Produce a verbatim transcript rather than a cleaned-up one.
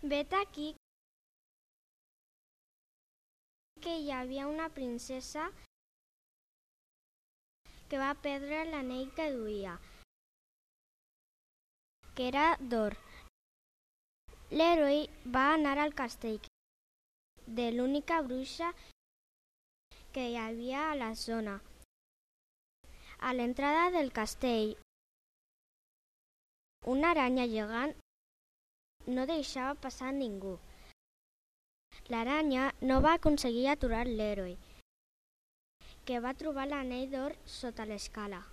Vet aquí que hi havia una princesa que va perdre l'anell que duia, que era d'or. L'heroi va anar al castell de l'única bruixa que hi havia a la zona. A l'entrada del castell, una aranya gegant no deixava passar ningú. L'aranya no va aconseguir aturar l'heroi, que va trobar l'anell d'or sota l'escala.